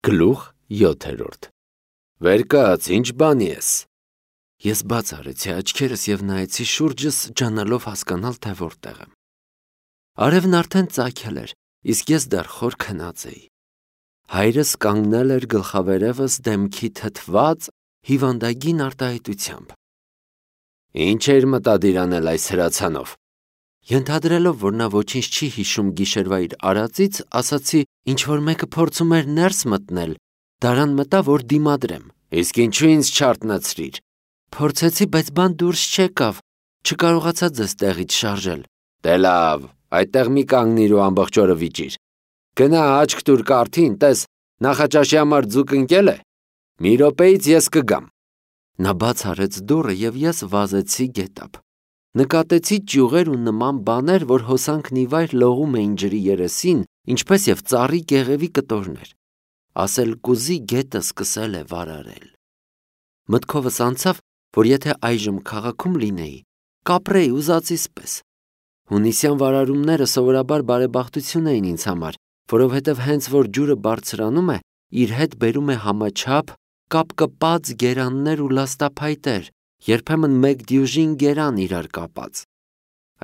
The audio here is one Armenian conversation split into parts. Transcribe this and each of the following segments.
Գլուխ 7 Վեր կաց, ինչ բանի ես։ Ես բաց արեցի աչքերս և նայեցի շուրջս, ջանալով հասկանալ, թե որտեղ եմ։ Արևն արդեն ծագել էր, իսկ ես դեռ խոր քնած էի։ Հայրս կանգնել էր գլխավերևս դեմքի թթված, հիվանդագին արտահայտությամբ։ Ինչ էր մտադիր անել այս հրացանով։ Ենթադրելով, որ նա ոչինչ չի հիշում գիշերվա իր արածից, ասացի, ինչ-որ մեկը փորձում էր ներս մտնել, դարան մտա, որ դիմադրեմ։ Իսկ ինչու ինձ չարթնացրիր։ Փորձեցի, բայց բան դուրս չեկավ, չկարողացա ձեզ տեղից շարժել։ Դե լավ, այդտեղ մի կանգնիր ու ամբողջ օրը վիճիր։ Գնա աչք տուր կարթին, տես, նախաճաշի համար ձուկ ընկել է։ Մի րոպեից ես կգամ։ Նա բաց արեց դուռը և ես վազեցի գետափ։ Նկատեցի ճյուղեր ու նման բաներ, որ հոսանքն ի վայր լողում էին ջրի երեսին, ինչպես և ծառի կեղևի կտորներ։ Ասել կուզի գետը սկսել է վարարել։ Մտքովս անցավ, որ եթե այժմ քաղաքում լինեի, կապրեի ուզածիս պես։ Հունիսյան վարարումները սովորաբար բարեբախտություն էին ինձ համար, որովհետև հենց որ ջուրը բարձրանում է, իր հետ բերում է համաչափ, կապկպած գերաններ ու լաստափայտեր, երբեմն մեկ դյուժին գերան իրար կապած։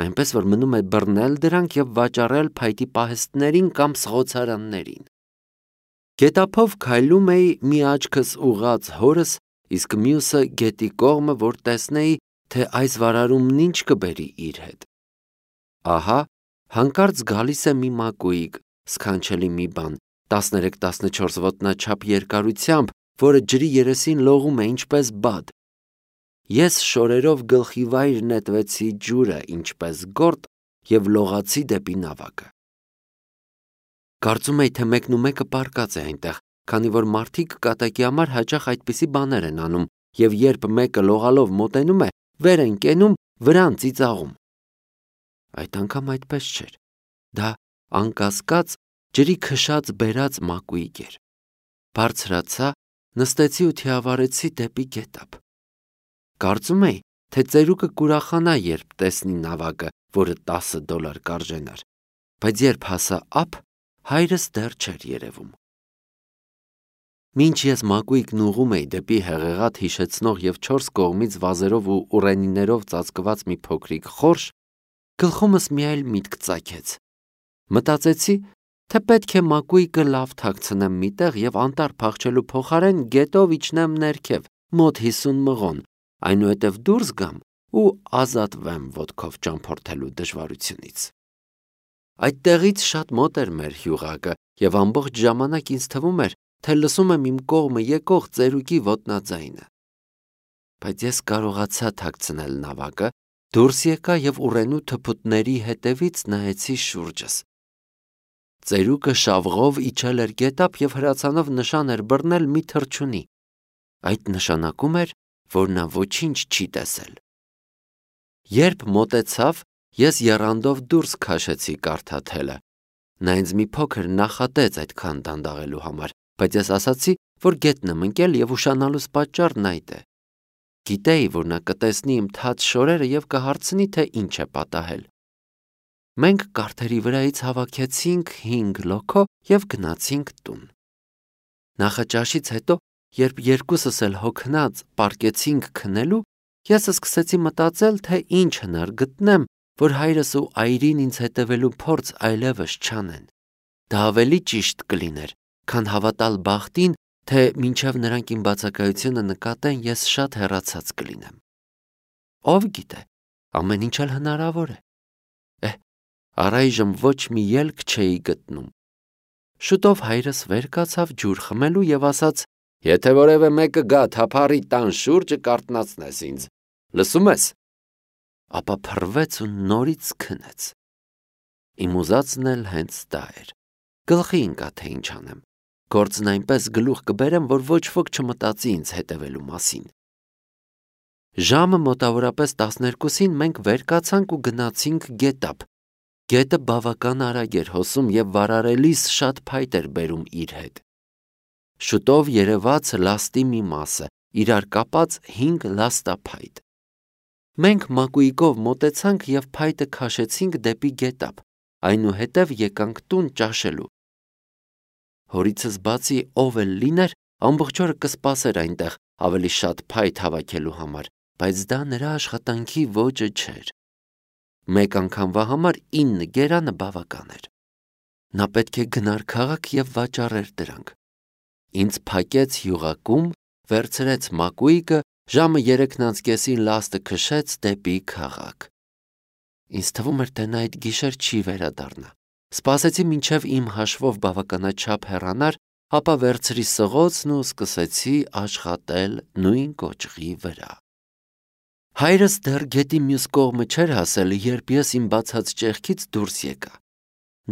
Այնպես որ մնում է բռնել դրանք և վաճառել փայտի պահեստներին կամ սղոցարաններին։ Գետափով քայլում էի, մի աչքս ուղղած հորս, իսկ մյուսը գետի կողմը, որ տեսնեի, թե այս վարարումն ինչ կբերի իր հետ։ Ահա, հանկարծ գալիս է մի մակույիկ, սքանչելի մի բան, 13-14 ոտնաչափ երկարությամբ, որը ջրի երեսին լողում է ինչպես բադ։ Ես շորերով գլխի վայր նետվեցի ջուրը, ինչպես գորտ, և լողացի դեպի նավակը։ Կարծում էի, թե մեկնումեկը պառկած է այնտեղ, քանի որ մարդիկ կատակի համար հաճախ այդպիսի բաներ են անում, և երբ մեկը լողալով մոտենում է, վեր են կենում, վրան ծիծաղում։ Այդ անգամ այդպես չէր։ Դա անկասկած ջրի քշած բերած մակույիկ էր։ Բարձրացա, նստեցի ու թիավարեցի դեպի գետափ։ Կարծում էի, թե ծերուկը կուրախանա, երբ տեսնի նավակը, որը $10 կարժենար, բայց երբ հասա ափ, հայրս դեռ չէր երևում։ Մինչ ես մակույկն ուղղում էի դեպի հեղեղատ հիշեցնող և 4 կողմից վազերով ու ուռենիներով ծածկված մի փոքրիկ խորշ, գլխումս մի այլ միտք ծագեց։ Մտածեցի, թե պետք է մակույկը լավ թաքցնեմ մի տեղ և անտառ փախչելու փոխարեն գետով իջնեմ ներքև, մոտ 50 մղոն, այնուհետև դուրս գամ ու ազատվեմ ոտքով ճամփորդելու դժվարությունից։ Այդտեղից շատ մոտ էր մեր հյուղակը, և ամբողջ ժամանակ ինձ թվում էր, թե լսում եմ իմ կողմը եկող ծերուկի ոտնաձայնը։ Բայց ես կարողացա թաքցնել նավակը, դուրս եկա և ուռենու թփուտների հետևից նայեցի շուրջս։ Ծերուկը շավղով իջել էր գետափ և հրացանով նշան էր բռնել մի թռչունի։ Այդ նշանակում էր, որ նա ոչինչ չի տեսել։ Երբ մոտեցավ, ես եռանդով դուրս քաշեցի կարթաթելը։ Նա ինձ մի փոքր նախատեց այդքան դանդաղելու համար, բայց ես ասացի, որ գետն եմ ընկել և ուշանալուս պատճառն այդ է։ Գիտեի, որ նա կտեսնի իմ թաց շորերը և կհարցնի, թե ինչ է պատահել։ Մենք կարթերի վրայից հավաքեցինք 5 լոքո և գնացինք տուն։ Նախաճաշից հետո, երբ երկուսս էլ հոգնած պառկեցինք քնելու, ես սկսեցի մտածել, թե ինչ հնար գտնեմ, որ հայրս ու այրին ինձ հետևելու փորձ այլևս չանեն։ Դա ավելի ճիշտ կլիներ, քան հավատալ բախտին, թե մինչև նրանք իմ բացակայությունը նկատեն, ես շատ հեռացած կլինեմ։ Ով գիտե, ամեն ինչ էլ հնարավոր է։ Առայժմ ոչ մի ելք չէի գտնում։ Շուտով հայրս վեր կացավ ջուր խմելու և ասաց. Եթե որևէ մեկը գա թափառի տան շուրջը, կարթնացնես ինձ, լսում ես։ Ապա փռվեց ու նորից քնեց։ Իմ ուզածն էլ հենց դա էր։ Գլխի ընկա, թե ինչ անեմ։ Գործն այնպես գլուխ կբերեմ, որ ոչ ոք չմտածի ինձ հետևելու մասին։ Ժամը մոտավորապես 12-ին մենք վեր կացանք ու գնացինք գետափ։ Գետը բավական արագ էր հոսում և վարարելիս շատ փայտ էր բերում իր հետ։ Շուտով երևաց լաստի մի մասը, իրար կապած 5 լաստափայտ։ Մենք մակույկով մոտեցանք և փայտը քաշեցինք դեպի գետափ, այնուհետև եկանք տուն ճաշելու։ Հորիցս բացի ով էլ լիներ, ամբողջ օրը կսպասեր այնտեղ ավելի շատ փայտ հավաքելու համար, բայց դա նրա աշխատանքի ոճը չէր։ Մեկ անգամվա համար 9 գերանը բավական էր։ Նա պետք է գնար քաղաք եւ վաճառեր դրանք։ Ինձ փակեց յուղակում, վերցրեց մակույկը, ժամը 3:30-ին լաստը քշեց դեպի քաղաք։ Ինձ թվում էր, թե նա այդ գիշեր չի վերադառնա։ Սպասեցի մինչև իմ հաշվով բավականաչափ հեռանար, ապա վերցրի սղոցն ու սկսեցի աշխատել նույն կոճղի վրա։ Հայրս դեռ գետի մյուս կողմը չէր հասել, երբ ես իմ բացած ճեղքից դուրս եկա։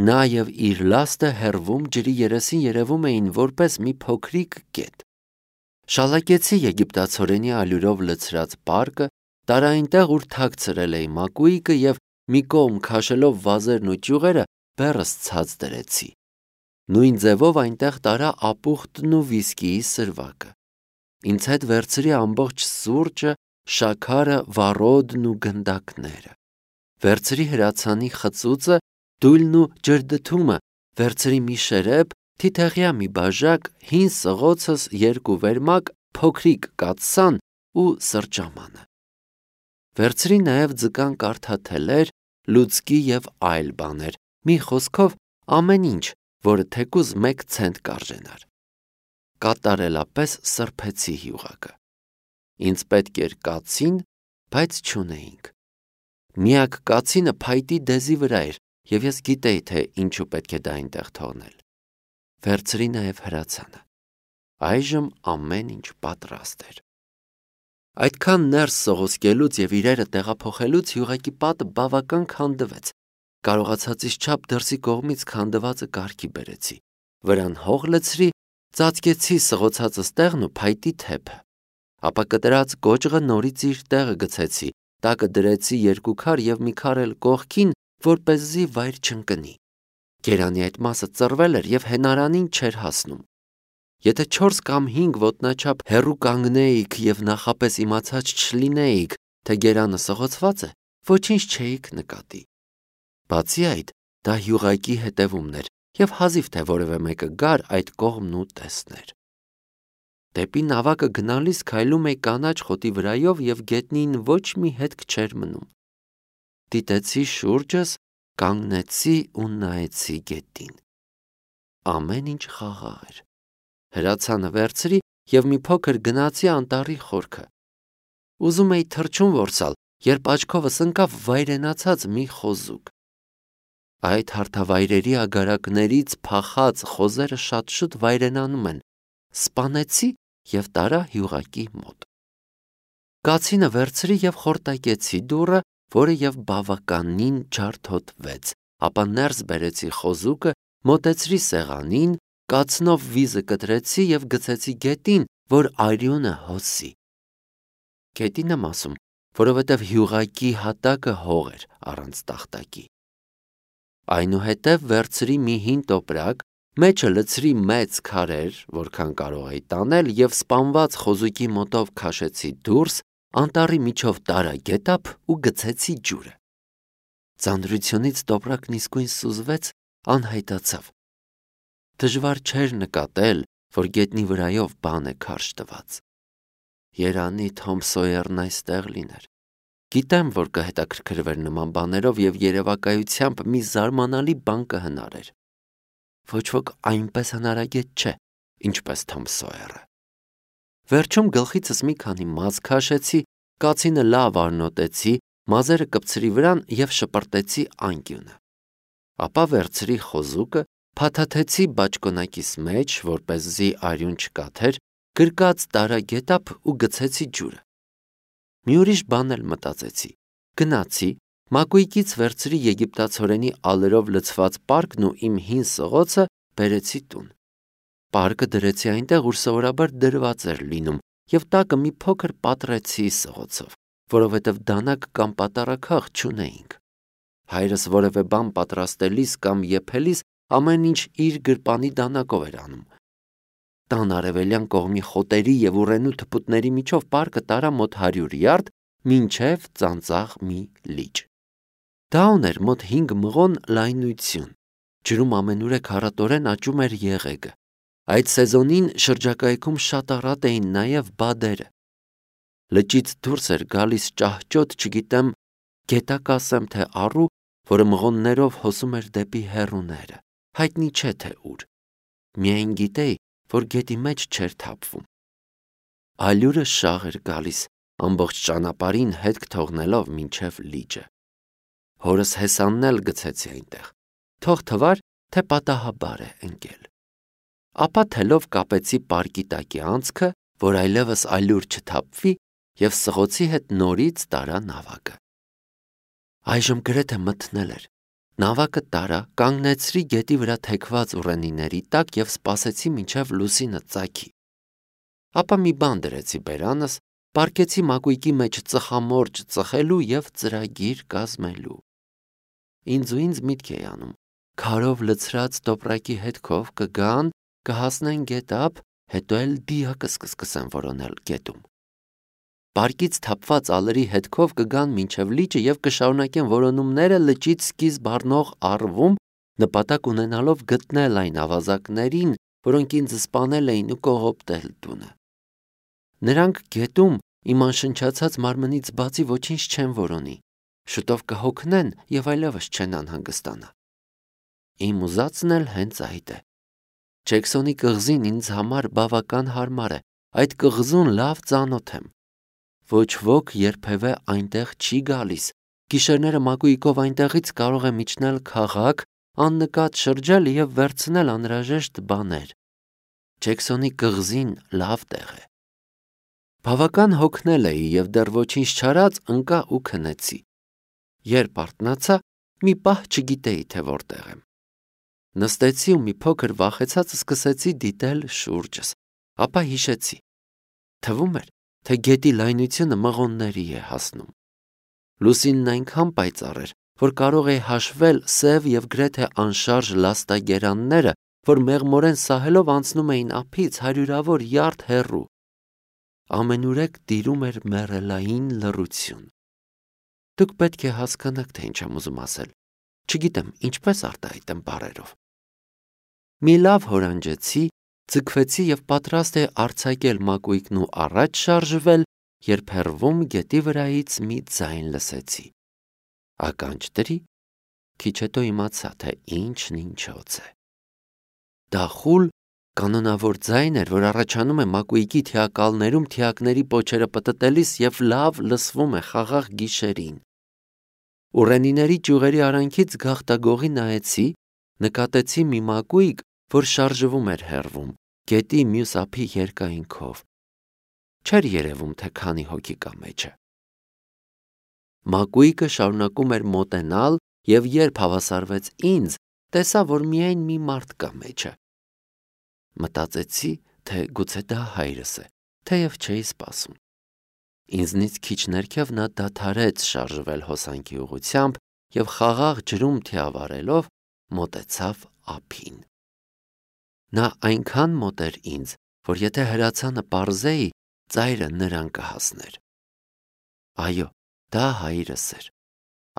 Նա եւ իր լաստը հեռվում ջրի երեսին երևում էին որպես մի փոքրիկ կետ։ Շալակեցի եգիպտացորենի ալյուրով լցրած պարկը, տարա այնտեղ, ուր թաքցրել էի մակույկը եւ մի կողմ քաշելով վազերն ու ճյուղերը բեռս ցած դրեցի։ Նույն ձևով այնտեղ տարա ապուխտն ու վիսկիի սրվակը։ Ինձ հետ վերցրի ամբողջ սուրճը, շաքարը, վառոդն ու գնդակները։ Վերցրի հրացանի խծուծը, դույլն ու ջրդթումը, վերցրի մի շերեփ, թիթեղյա մի բաժակ, հին սղոցս, 2 վերմակ, փոքրիկ կաթսան ու սրճամանը։ Վերցրի նաև ձկան կարթաթելեր, լուցկի եւ այլ բաներ, մի խոսքով ամեն ինչ, որը թեկուզ 1 ցենտ կարժենար։ Կատարելապես սրբեցի յուղակը։ Ինձ պետք էր կացին, բայց չունեինք։ Միակ կացինը փայտի դեզի վրա էր, եւ ես գիտեի, թե ինչու պետք է դա այնտեղ թողնել։ Վերցրի նաև հրացանը։ Այժմ ամեն ինչ պատրաստ էր։ Այդքան ներս սողոսկելուց եւ իրերը տեղափոխելուց յուղակի պատը բավական քանդվեց։ Կարողացածից չափ դրսի կողմից քանդվածը կարգի բերեցի։ Վրան հող լցրի, ծածկեցի սղոցածս տեղն ու փայտի թեփը։ Ապա կտրած կոճղը նորից իր տեղը գցեցի, տակը դրեցի 2 քար եւ մի քար էլ կողքին, որպեսզի վայր չընկնի։ Գերանի այդ մասը ծռվել էր եւ հենարանին չէր հասնում։ Եթե 4 կամ 5 ոտնաչափ հեռու կանգնեիք եւ նախապես իմացած չլինեիք, թե գերանը սղոցված է, ոչինչ չէիք նկատի։ Բացի այդ, դա յուղակի հետևումն էր եւ հազիվ թե որևէ մեկը գար այդ կողմն ու տեսներ։ Դեպի նավակը գնալիս քայլում էի կանաչ խոտի վրայով եւ գետնին ոչ մի հետք չէր մնում։ Դիտեցի շուրջս, կանգնեցի ու նայեցի գետին։ Ամեն ինչ խաղաղ էր։ Հրացանը վերցրի եւ մի փոքր գնացի անտառի խորքը։ Ուզում էի թռչուն որսալ, երբ աչքովս ընկավ վայրենացած մի խոզուկ։ Այդ հարթավայրերի ագարակներից փախած խոզերը շատ շուտ վայրենանում են։ Սպանեցի եւ տարա յուղակի մոտ։ Կացինը վերցրի եւ խորտակեցի դուռը, որը եւ բավականին ջարդոտվեց, ապա ներս բերեցի խոզուկը, մոտեցրի սեղանին, կացնով վիզը կտրեցի եւ գցեցի գետին, որ արյունը հոսի։ Գետին եմ ասում, որովհետեւ յուղակի հատակը հող էր առանց տախտակի։ Այնուհետև վերցրի մի հին տոպրակ, մեջը լցրի մեծ քարեր, որքան կարող էի տանել, եւ սպանված խոզուկի մոտով քաշեցի դուրս, անտառի միջով տարա գետափ ու գցեցի ջուրը։ Ծանրությունից տոպրակն իսկույն սուզվեց, անհայտացավ։ Դժվար չէր նկատել, որ գետնի վրայով բան է քարշ տված։ Երանի Թոմ Սոյերն այստեղ լիներ։ Գիտեմ, որ կհետաքրքրվեր նման բաներով եւ երևակայությամբ մի զարմանալի բան կհնարեր։ Ոչ ոք այնպես հնարագետ չէ, ինչպես Թոմ Սոյերը։ Վերջում գլխիցս մի քանի մազ քաշեցի, կացինը լավ արնոտեցի, մազերը կպցրի վրան եւ շպրտեցի անկյունը։ Ապա վերցրի խոզուկը, փաթաթեցի բաճկոնակիս մեջ, որպեսզի արյուն չկաթեր, գրկած տարա գետափ ու գցեցի ջուրը։ Մի ուրիշ բան էլ մտածեցի։ Գնացի, մակույկից վերցրի եգիպտացորենի ալերով լցված պարկն ու իմ հին սղոցը բերեցի տուն։ Պարկը դրեցի այնտեղ, ուր սովորաբար դրված էր լինում, եւ տակը մի փոքր պատռեցի սղոցով, որովհետեւ դանակ կամ պատարակախ չունեինք։ Հայրս որևէ բան պատրաստելիս կամ եփելիս ամեն ինչ իր գրպանի դանակով էր անում։ Տան արևելյան կողմի խոտերի եւ ուռենու թփուտների միջով պարկը տարա մոտ 100 յարդ, մինչև ծանծաղ մի լիճ։ Դա ուներ մոտ 5 մղոն լայնություն։ Ջրում ամենուրեք հառատորեն աճում էր եղեգը, Այդ սեզոնին շրջակայքում շատ առատ էին նաև բադերը։ Լճից դուրս էր գալիս ճահճոտ, չգիտեմ, գետակ ասեմ թե առու, որը մղոններով հոսում էր դեպի հեռուները, հայտնի չէ թե ուր։ Միայն գիտեի, որ գետի մեջ չէր թափվում։ Ալյուրը շաղ էր գալիս, ամբողջ ճանապարհին հետք թողնելով մինչև լիճը։ Հորս հեսանն էլ գցեցի այնտեղ, թող թվար, թե պատահաբար է ընկել։ Ապա թելով կապեցի պարկի տակի անցքը, որ այլևս ալյուր չթափվի, և սղոցի հետ նորից տարա նավակը։ Այժմ գրեթե մթնել էր։ Նավակը տարա, կանգնեցրի գետի վրա թեքված ուռենիների տակ և սպասեցի մինչև լուսինը ծագի։ Ապա մի բան դրեցի բերանս, պառկեցի մակույկի մեջ ծխամորճ ծխելու և ծրագիր կազմելու։ Ինձ միտք էի անում, քարով լցրած տոպրակի հետքով կգան, կհասնեն գետ ափ, հետո էլ դիակը կսկսեն որոնել գետում։ Պարկից թափված ալերի հետքով կգան մինչև լիճը և կշարունակեն որոնումները լճից սկիզբ առնող առվում, նպատակ ունենալով գտնել այն ավազակներին, որոնք ինձ սպանել էին ու կողոպտել տունը։ Նրանք գետում իմ անշնչացած մարմնից բացի ոչինչ չեն որոնի, շուտով կհոգնեն և այլևս չեն անհանգստանա։ Իմ ուզածն էլ հենց այդ է։ Ջեքսոնի կղզին ինձ համար բավական հարմար է, այդ կղզուն լավ ծանոթ եմ։ Ոչ ոք երբևէ այնտեղ չի գալիս, գիշերները մակույկով այնտեղից կարող եմ իջնել քաղաք, աննկատ շրջել և վերցնել անհրաժեշտ բաներ։ Ջեքսոնի կղզին լավ տեղ է։ Բավական հոգնել էի և դեռ ոչինչ չարած ընկա ու քնեցի։ Երբ արթնացա, մի պահ չգիտեի, թե որտեղ եմ։ Նստեցի ու մի փոքր վախեցած սկսեցի դիտել շուրջս, ապա հիշեցի։ Թվում էր, թե գետի լայնությունը մղոնների է հասնում։ Լուսինն այնքան պայծառ էր, որ կարող էի հաշվել սև և գրեթե անշարժ լաստագերանները, որ մեղմորեն սահելով անցնում էին ափից հարյուրավոր յարդ հեռու։ Ամենուրեք տիրում էր մեռելային լռություն։ Դուք պետք է հասկանաք, թե ինչ եմ ուզում ասել։ Չգիտեմ, ինչպես արտահայտեմ բառերով։ Մի լավ հորանջեցի, ձգվեցի և պատրաստ էի արձակել մակույկն ու առաջ շարժվել, երբ հեռվում գետի վրայից մի ձայն լսեցի։ Ականջ դրի, քիչ հետո իմացա, թե ինչն ինչոց է։ Դա խուլ, կանոնավոր ձայն էր, որ առաջանում է մակույկի թիակալներում թիակների պոչերը պտտելիս և լավ լսվում է խաղաղ գիշերին։ Ուռենիների ճյուղերի արանքից գաղտագողի նայեցի, նկատեցի մի մակույկ, որ շարժվում էր հեռվում, գետի մյուս ափի երկայնքով։ Չէր երևում, թե քանի հոգի կա մեջը։ Մակույկը շարունակում էր մոտենալ և երբ հավասարվեց ինձ, տեսա, որ միայն մի մարդ կա մեջը։ Մտածեցի, թե գուցե դա հայրս է, թեև չէի սպասում։ Ինձնից քիչ ներքև նա դադարեց շարժվել հոսանքի ուղղությամբ և խաղաղ ջրում թիավարելով մոտեցավ ափին։ Նա այնքան մոտ էր ինձ, որ եթե հրացանը պարզեի, ծայրը նրան կհասներ։ Այո, դա հայրս էր։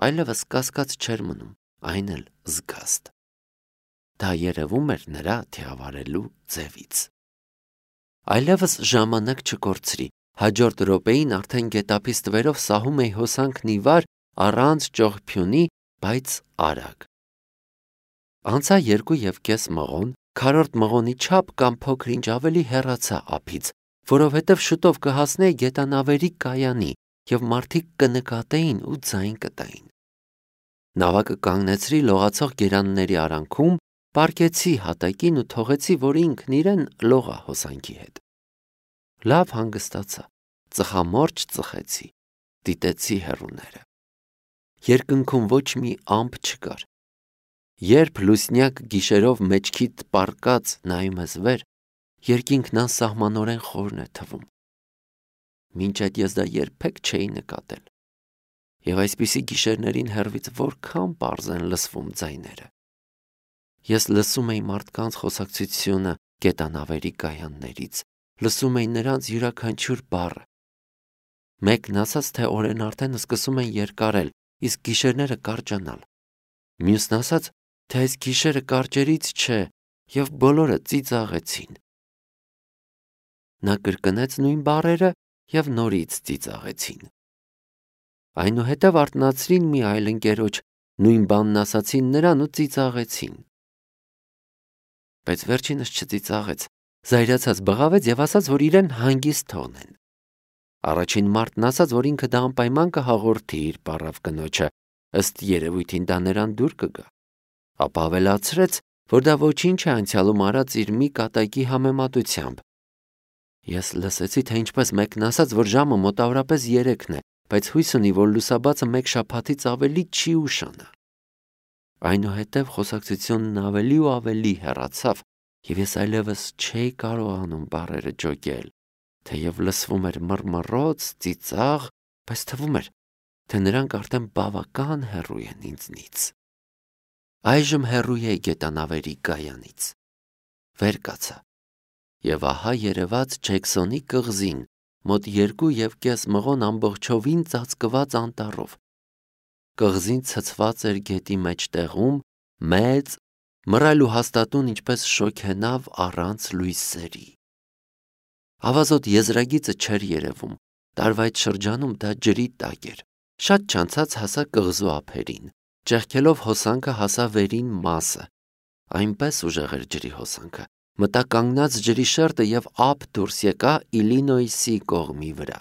Այլևս կասկած չէր մնում, այն էլ զգաստ։ Դա երևում էր նրա թիավարելու ձևից։ Այլևս ժամանակ չկորցրի, հաջորդ րոպեին արդեն գետափից տվերով սահում էի հոսանքն ի վար, առանց ճողփյունի, բայց արագ։ Անցա 2.5 մղոն, քառորդ մղոնի չափ կամ փոքր-ինչ ավելի հեռացա ափից, որովհետև շուտով կհասնեի գետանավերի կայանի և մարդիկ կնկատեին ու ձայն կտային։ Նավակը կանգնեցրի լողացող գերանների արանքում, պառկեցի հատակին ու թողեցի, որ ինքն իրեն լողա հոսանքի հետ։ Լավ հանգստացա, ծխամորճ ծխեցի, դիտեցի հեռուները։ Երկնքում ոչ մի ամպ չկար։ Երբ լուսնյակ գիշերով մեջքիդ պառկած նայում ես վեր, երկինքն անսահմանորեն խորն է թվում։ Մինչ այդ ես դա երբեք չէի նկատել։ Եվ այսպիսի գիշերներին հեռվից որքան պարզ են լսվում ձայները։ Ես լսում էի մարդկանց խոսակցությունը գետանավերի կայաններից, լսում էի նրանց յուրաքանչյուր բառը։ Մեկն ասաց, թե օրերն արդեն սկսում են երկարել, իսկ գիշերները կարճանալ։ Մյուսն ասաց, թե այս գիշերը կարճերից չէ, և բոլորը ծիծաղեցին։ Նա կրկնեց նույն բառերը և նորից ծիծաղեցին։ Այնուհետև արթնացրին մի այլ ընկերոջ, նույն բանն ասացին նրան ու ծիծաղեցին։ Բայց վերջինս չծիծաղեց, զայրացած բղավեց և ասաց, որ իրեն հանգիստ թողնեն։ Առաջին մարդն ասաց, որ ինքը դա անպայման կհաղորդի իր պառավ կնոջը, ըստ երևույթին դա նրան դուր կգա։ Ապա ավելացրեց, որ դա ոչինչ է անցյալում արած իր մի կատակի համեմատությամբ։ Ես լսեցի, թե ինչպես մեկն ասաց, որ ժամը մոտավորապես 3-ն է, բայց հույս ունի, որ լուսաբացը մեկ շաբաթից ավելի չի ուշանա։ Այնուհետև խոսակցությունն ավելի ու ավելի հեռացավ, և ես այլևս չէի կարողանում բառերը ջոկել, թեև լսվում էր մռմռոց, ծիծաղ, բայց թվում էր, թե նրանք արդեն բավական հեռու են ինձնից։ Այժմ հեռու էի գետանավերի կայանից։ Վեր կացա, և ահա երևաց Ջեքսոնի կղզին, մոտ 2,5 մղոն ամբողջովին ծածկված անտառով։ Կղզին ցցված էր գետի մեջտեղում, մեծ, մռայլ ու հաստատուն ինչպես շոգենավ առանց լույսերի։ Ավազոտ եզրագիծը չէր երևում, տարվա այդ շրջանում դա ջրի տակ էր։ Շատ չանցած հասա կղզու ափերին, ճեղքելով հոսանքը հասա վերին մասը։ Այնպես ուժեղ էր ջրի հոսանքը, մտա կանգնած ջրի շերտը և ափ դուրս եկա Իլինոյսի կողմի վրա։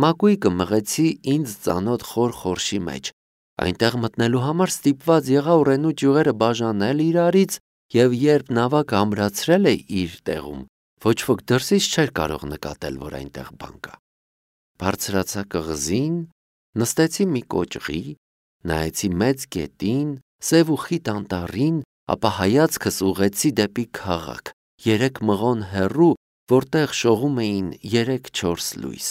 Մակույկը մղեցի ինձ ծանոթ խոր խորշի մեջ։ Այնտեղ մտնելու համար ստիպված եղա ուռենու ճյուղերը բաժանել իրարից, և երբ նավակը ամրացրել է իր տեղում, ոչ ոք դրսից չէր կարող նկատել, որ այնտեղ բան կա։ Բարձրացա կղզին, նստեցի մի կոճղի, նայեցի մեծ գետին, սև ու խիտ անտառին, ապա հայացքս ուղղեցի դեպի քաղաք, 3 մղոն հեռու, որտեղ շողում էին 3-4 լույս։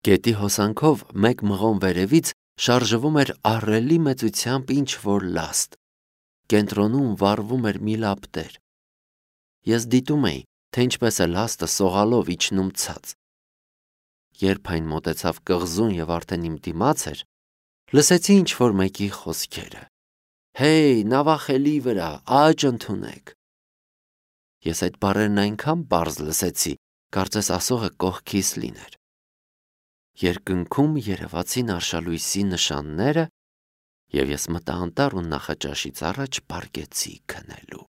Գետի հոսանքով 1 մղոն վերևից շարժվում էր ահռելի մեծությամբ ինչ-որ լաստ։ Կենտրոնում վառվում էր մի լապտեր։ Ես դիտում էի, թե ինչպես է լաստը սողալով իջնում ցած։ Երբ այն մոտեցավ կղզուն և արդեն իմ դիմաց էր, լսեցի ինչ-որ մեկի խոսքերը. «Հեյ, նավախելի վրա, աճ ընդունեք»։ Ես այդ բառերն այնքան պարզ լսեցի, կարծես ասողը կողքիս լիներ։ Երկնքում երևացին արշալույսի նշանները, և ես մտա անտառ ու նախաճաշից առաջ պառկեցի քնելու։